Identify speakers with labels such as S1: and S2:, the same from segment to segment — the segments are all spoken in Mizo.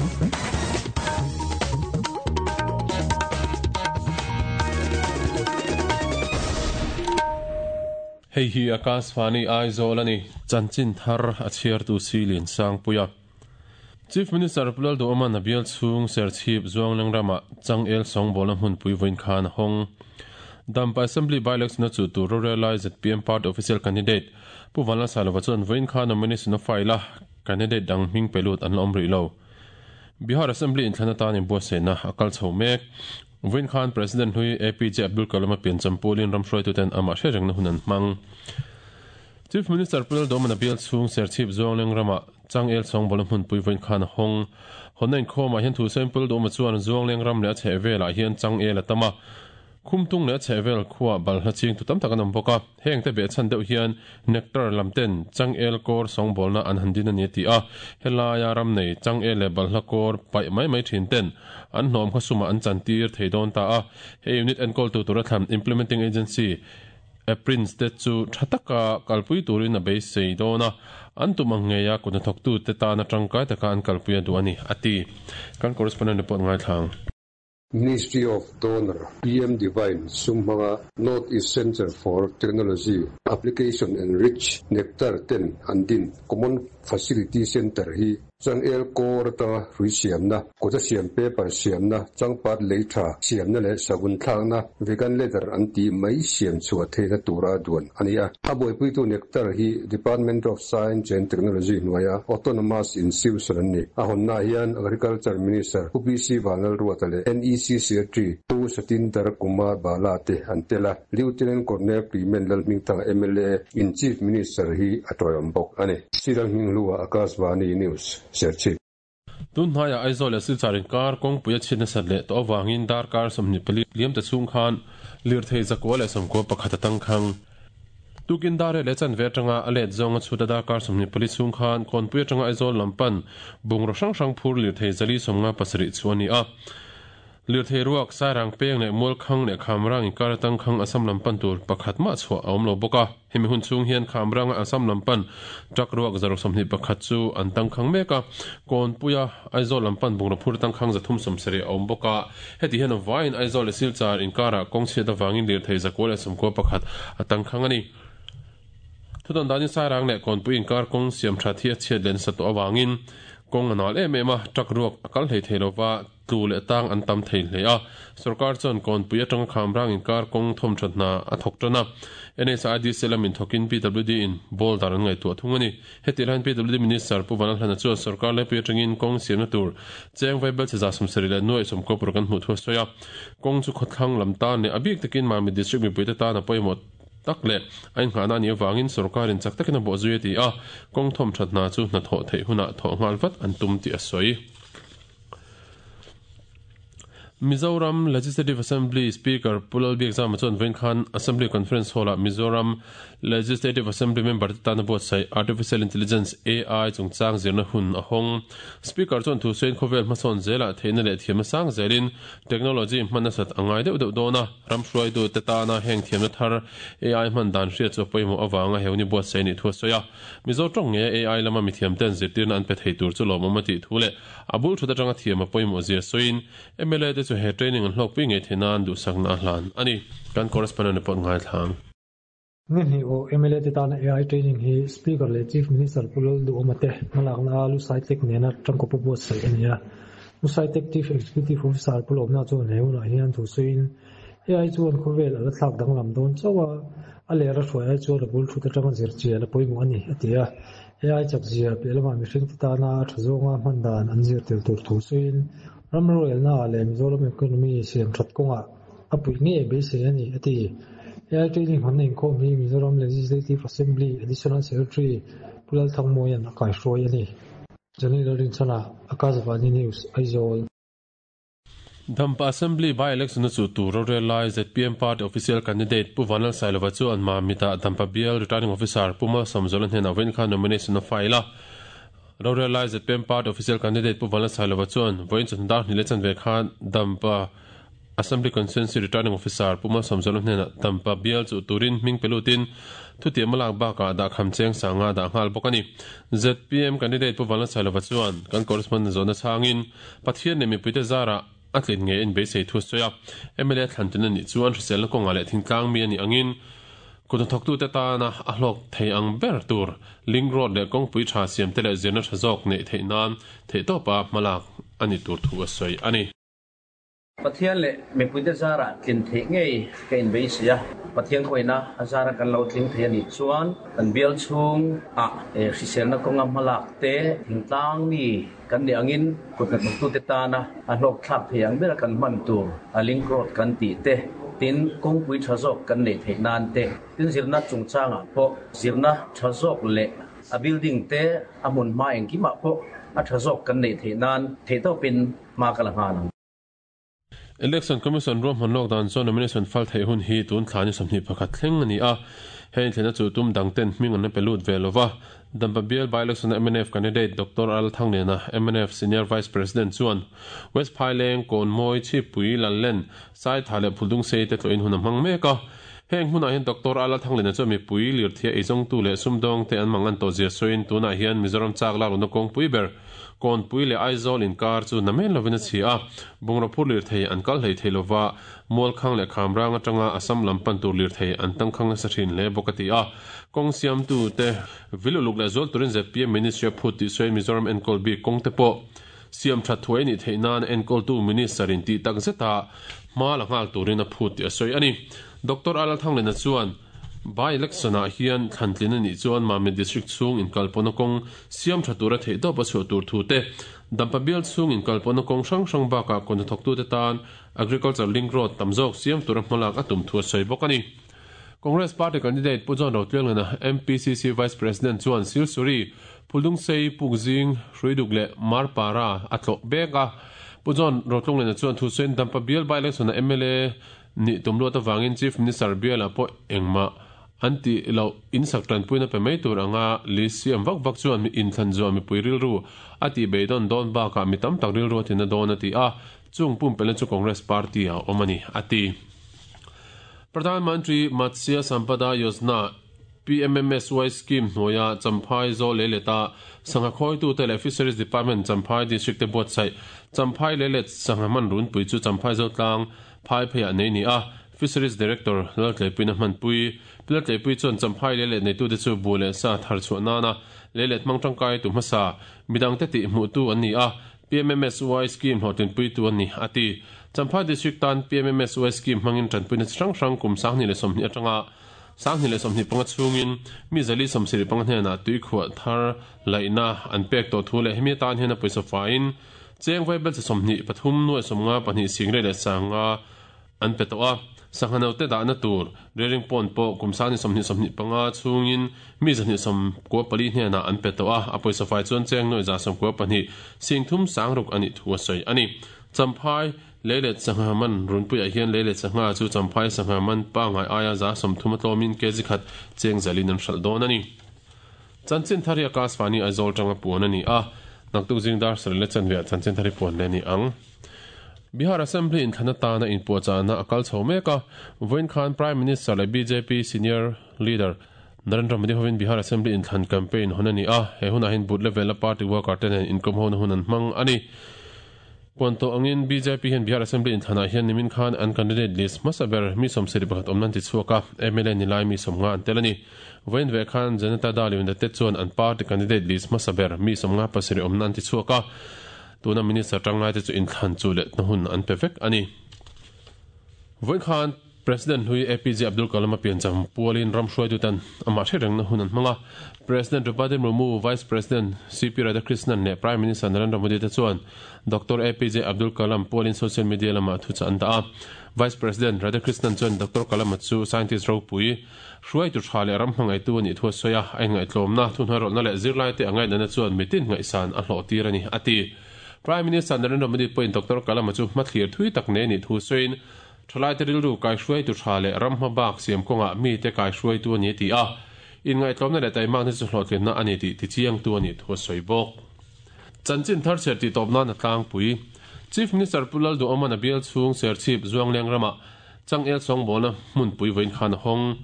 S1: Hei hi Akashvani Aizawl a ni. Chanchin thar a chhiartu Silin Sangpuia. Chief Minister Pu Lalduhawma'n a bial chhung Serchhip Zuangleng ramah changel sawngbawlna hmunpui vawiin khan a hawng. Dampa Assembly by-election a chuh tur rorel lai zpm party official candidate Pu Vanlalsailova chuan vawiin khan nomination a file a, candidate dang hming pe lut an la awm rih lo. Bihar Assembly inthlan atan inbuatsaihna a kal chho mek. Vawiin khan President hlui APJ Abdul Kalam a piancham pulin ram hruaituten amah hriatrengna hun an hmang. Chief Minister Pu Lalduhawma'n a bial chhung Serchhip Zuangleng ramah Changel sawngbawlna hmunpui vawiin khan a hawng. Hawnna inkhawmah hian Thusain Pu Lalduhawma chuan Zuangleng ram leh a chhehvelah hian Changel a tam a, Khumtung leh a chhehvel khuaa balhla chingtu tam tak an awm bawk a, hengte behchhan deuh hian Nectar lam ten Changel kawr sawngbawlna an han din a ni a ti a, helaia ram nei Changel leh balhla kawr paih mai mai thin ten an hnawm kha sumah an chantir thei dawn ta a, he unit enkawltu tura thlan Implementing Agency Prince te chu tha taka kalpui turin a beisei dawn a, an tum ang ngeia kut hnathawktute tana tangkai taka an kalpui a duh a ni, a ti. Kan correspondent report ngaithla ang.
S2: Ministry of Donor PM Divine sum hmanga North East Centre for Technology Application and Reach Nectar ten an din Common Facility Centre hi Changel kawr atanga hrui siamna, kawta siam paper siamna, changpat lei tha siamna leh savun thlakna, vegan leather an tih mai siam chhuah theihna tura duan a ni a. A buaipuitu Nectar hi Department of Science and Technology hnuaia Autonomous Institution an ni. A hawnnaah hian Agriculture Minister Pu PC Vanlalruata leh NEC Secretary Pu Satinder Kumar Bala te an tel a, Lieutenant Colonel Clement Lalhmingthanga mla in Chief Minister hi a tawiawm bawk a ni. Sir Hminghlua Akashvani News, Serchhip.
S1: Tun hnaiah Aizawl leh Silchar inkar kawngpui a chhiat nasat leh tawh avangin darkar 24 liam ta chhung khan lirthei zakua leh 11 a tangkhang. Tukin dar leh chanve atanga a let zawng a chhut a darkar 24 chhung khan Kawnpui atanga Aizawl lam pan bungraw hrang hrang phur lirthei 457 chu a ni a. Lirthei ruak, Sairang peng leh Mualkhang leh Khamrang inkar atang khang Assam lam pan tur pakhat mah chhuah a awm lo bawk a. Hemi hun chhung hian Khamranga Assam lam pan truck ruak 21 chu an tangkhang mek a. Kawnpuia Aizawl lam pan bungraw phur tangkhang 370 a awm bawk a. Heti hian a vaiin Aizawl leh Silchar inkarah kawng chhiat avangin lirthei 991 a tangkhang a ni. Thudawn danin Sairang leh Kawnpui inkar kawng siam that hi a chhiat leh nasa tawh avangin kawng a nal em em a, truck ruak a kal hlei thei lova, Tlu leh tang an tam thei hle a, sorkar chuan Kawnpui atanga Khamrang inkar kawng thawmthat hna a thawk tan a. NHIDC lamin thawkin PWD in boulder an ngaihtuah thung a ni. Hetih laiin PWD Minister Pu Vanlalhlana chuan sorkar laipui atangin kawng siamna tur cheng vaibel che 70 leh nuai sawmkaw paruk an hmuh thu a sawi a. Kawng chu khawthlang lam tan leh a bik takin Mamit District mipuite tan a pawimawh tak leh a innghahna a nih avangin sorkarin chak takin a bawhzui a ti a, kawng thawmthat hna chu hnathawh theih hunah thawh nghal vat an tum tih a sawi. Mizoram Legislative Assembly Speaker Pu Lalbiakzama chuan vawiin khan Assembly Conference Hall-ah Mizoram Legislative Assembly member te tana buatsaih Artificial Intelligence, AI, chungchang zirna hun a hawng. Speaker chuan thu sawiin khawvel hmasawn zelah theihna leh thiamna sang zelin technology hman nasat a ngai deuh deuh dawn a, ram hruaitute tana heng thiamna thar AI hman dan hriat chu a pawimawh avanga he hun hi buatsaih a nih thu a sawi a. Mizo tawng ngeia AI lama mithiamten zirtirna an pe thei tur chu lawmawm a tih thu leh A bul thut atanga thiam a pawimawh zia sawiin mla te chu he training an hlawkpui ngei theih nan duhsakna a hlan a ni. Kan correspondent report ngaithlang.
S3: Ni hnih aw mla te tana AI training hi Speaker leh Chief Minister Pu Lalduhawma te hmalakna a Lusaitek nena tangkawpa buatsaih a ni a. Lusaitek Chief Executive Officer Pu Lawmna chuan he hunah hian thu sawiin AI chuan khawvel a la thlak danglam dawn chauh a, a lera hruai ai chuan a bul thut atanga zirchian a pawimawh a ni, a ti a. AI chakzia piah lamah mihringte tana a tha zawnga hman dan an zir tel tur thu sawiin ram rorelnaah leh Mizoram economy siam that kawngah a puih ngei beisei a ni, a ti. AI training hawnna inkhawm hi Mizoram Legislative Assembly Additional Secretary Pu Lalthangmawia'n a kaihruai a ni. Johnny Lalrinchhana, Akashvani News, Aizawl.
S1: Dampa Assembly by-election a chuh tur rorel lai zpm party official candidate Pu Vanlalsailova chu an Mamit-ah Dampa bial returning officer Pu Malsawmzuala hnenah vawiin khan nomination a file a. Rorel lai zpm party official candidate Pu Vanlalsailova chuan vawiin chawhnu dar hnih leh chanve khan Dampa. Assembly Constituency Returning Officer Pu Malsawmzuala hnenah Dampa bial chuh turin hming pe lutin thutiam a lak bakah dahkham cheng sanga dah nghal bawk a ni. Zpm candidate Pu Vanlalsailova chuan kan correspondent zawhna chhangin Pathian leh mipuite zarah a tlin ngei a inbeisei thu a sawi a. Mla thlantin a nih chuan hriselna kawngah leh thingtlang mi a nih angin Kuthnathawktute tana a hlawk thei ang ber tur link road leh kawngpui tha siamte leh zirna tha zawk neih theih nan theihtawpa hmalak a ni tur thu a sawi a ni.
S4: Pathian leh mipuite zarah tlin theih ngei ka inbeisei a, Pathian khawina a zara kan lo tling thei a nih chuan kan bial chhungah hriselna kawnga hmalak te, thingtlang mi kan nih angin kuthnathawktute tana a hlawkthlak thei ang bera kan hman tur a link road kan tih te, tin kawngpui tha zawk kan neih theih nan te, tin zirna chungchangah pawh zirna tha zawk leh a building te a hmun hma engkimah pawh a tha zawk kan neih theih nan theihtawpin hma ka la nghal ang.
S1: Election Commission ruahman lawk dan chuan nomination fal theih hun hi tun thla ni 21 thleng a ni a, he inthlenna chu tum dang ten hming an la pe lut ve lo va. Dampa bial by-election a mnf candidate Doctor Al Thangliana, mnf Senior Vice President chuan West Phaileng, Kawnmawi, Chhippui, Lallen, Saitha leh Phuldungsei te tlawhin hun a hmang mek a. Heng hmunah hian Doctor Al Thangliana chuan mipui, lirthei eizawngtu leh sumdawngte an mang an tawh zia sawiin tunah hian Mizoram chak lak lohna kawngpui ber Kawnpui leh Aizawl inkar chu namen lovin a chhi a, bungraw phur lirthei an kal hlei thei lova, Mualkhang leh Khamrang atanga Assam lam pan tur lirthei an tangkhang nasa thin hle bawk a ti a. Kawng siamtute vil uluk leh zual turin zpm Ministry a phut tih sawiin Mizoram enkawl bik kawng te pawh siam that thuai a nih theih nan enkawltu Minister in tih tak zeta hma la nghal turin a phut tih a sawi a ni. Doctor Alal Thanglena chuan By election ah hian thlantlin a nih chuan Mamit District chhung inkalpawhna kawng siam tha tura theihtawp a chhuah tur thu te, Dampa bial chhung inkalpawhna kawng hrang hrang bakah kawhnathawktute tan Agriculture Link Road tam zawk siam tura hmalak a tum thu a sawi bawk a ni. Congress Party candidate Pu John Rotlianglana, MPCC Vice President chuan Silsuri, Phuldungsei, Pukzing, Hruiduk leh Marpara a tlawh bek a. Pu John Rotlunglena chuan thusawiin Dampa bial by election a mla Nih tum luat avangin Chief Minister bialah pawh engmah an tih loh insak tanpuina pe mai tur anga list siam vak vak chuan mi inthlan zuah mipui rilru a tih beidawn dawn bakah mi tam tak rilru a tina dawn a ti a, chung pumpelhna chu Congress party ah a awm a ni, a ti. Pradhan Mantri Matsya Sampada Yojana, PMMSY, scheme hnuaia Champhai Zawl Leileta sangha khawitute leh Fisheries Department Champhai District te buatsaih Champhai Leilet sangha hman runpui chu Champhai Zotlang Phai pheiah nei ni a, Fisheries Director Laltleipuiin a hmanpui. Pi Laltleipui chuan Champhai leilet neitute chu buh leh sa thar chhuah nana leilet hmang tangkai tu hmasa, midangte tih hmuhtu an ni a, PMMSY scheme hlawhtlinpuitu an ni, a ti. Champhai District tan PMMSY scheme hmangin tanpuina chi hrang hrang kum 2020 atanga 2025 chhungin mi 475 hnenah tuikhuah thar laihna an pek tawh thu leh hemi atan hian a pawisa faiin Cheng vaibel chi 23 nuai 52 singrei leh sanga an pe tawh a, sangha note dahna tur rearing pond pawh kum 20 25 chhungin mi 294 hnenah an pe tawh a, a pawisa fai chuan cheng nuai 92 sing thum sang ruk a nih thu a sawi a ni. Champhai leilet sangha man runpuiah hian leilet sangha chu Champhai sangha man pangngai aia 30% a tlawmin kg khat cheng zalin an hralh dawn a ni. Chanchin thar hi Akashvani Aizawl tanga puan a ni a, naktuk zing dar sarih leh chanveah chanchin thar hi puan leh a ni ang. Bihar Assembly inthlan atana inpuahchahna a kal chho mek a, vawiin khan Prime Minister leh bjp Senior Leader Narendra Modi hovin Bihar Assembly inthlan campaign hawn a ni a, he hunah hian booth level a party worker te nen inkawmhona hun an hmang a ni. Puan tawh angin bjp hian Bihar Assembly inthlanah hian nimin khan an candidate list hmasa ber mi 71 awmna an tichhuak a, mla ni lai mi 50 an tel a ni. Vawiin ve khan Janata Dal United chuan an party candidate list hmasa ber mi 57 awmna an tichhuak a, tuna minister tanglai te chu inthlan chu lehna hun an pe vek a ni. Vawiin khan President hlui APJ Abdul Kalam a piancham pualin ram hruaituten amah hre rengna hun an hmang a. President Draupadi Murmu, Vice President CP Radhakrishnan leh Prime Minister Narendra Modi te chuan Doctor APJ Abdul Kalam pualin social media lamah thuchah an dah a. Vice President Radhakrishnan chuan Doctor Kalam-a chu scientist ropui, hruaitu tha leh ram hmangaihtu a nih thu a sawi a, a inngaihtlawmna, thuhnuairawlhna leh zirlaite a ngaihnana chuan mitin ngaihsan a hlawhtir a ni, a ti. Prime Minister Narendra Modi pawhin Doctor Kalam-a chu hmathlir thui tak nei a nih thu sawiin, Thalaite rilru kaihruaitu tha leh ram hma bak siam kawngah mite kaihruaitu a ni a ti a, inngaihtlawmna leh taimakna chu hlawhtlinna a ni tih tichiangtu a nih thu a sawi bawk. Chanchin thar chhiar tih tawp nan a tlangpui. Chief Minister Pu Lalduhawma'n a bial chhung Serchhip Zuangleng ramah changel sawngbawlna hmunpui vawiin khan a hawng.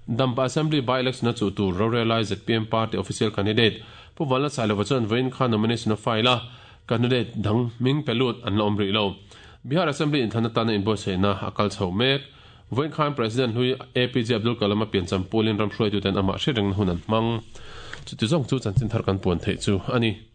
S1: Dampa Assembly by-election a chuh tur rorelai zpm party official candidate Pu Vanla Sailova chuan vawiin khan nomination a file a, candidate dang hming pe lut an la awm rih lo. Bihar Assembly inthlan atana inbuatsaihna a kal chho mek. Vawiin khan President hlui APJ Abdul Kalam a piancham pulin ram hruaituten amah hriat rengna hun an hmang. Chuti zawng chu chanchin thar kan puan theih chu a ni.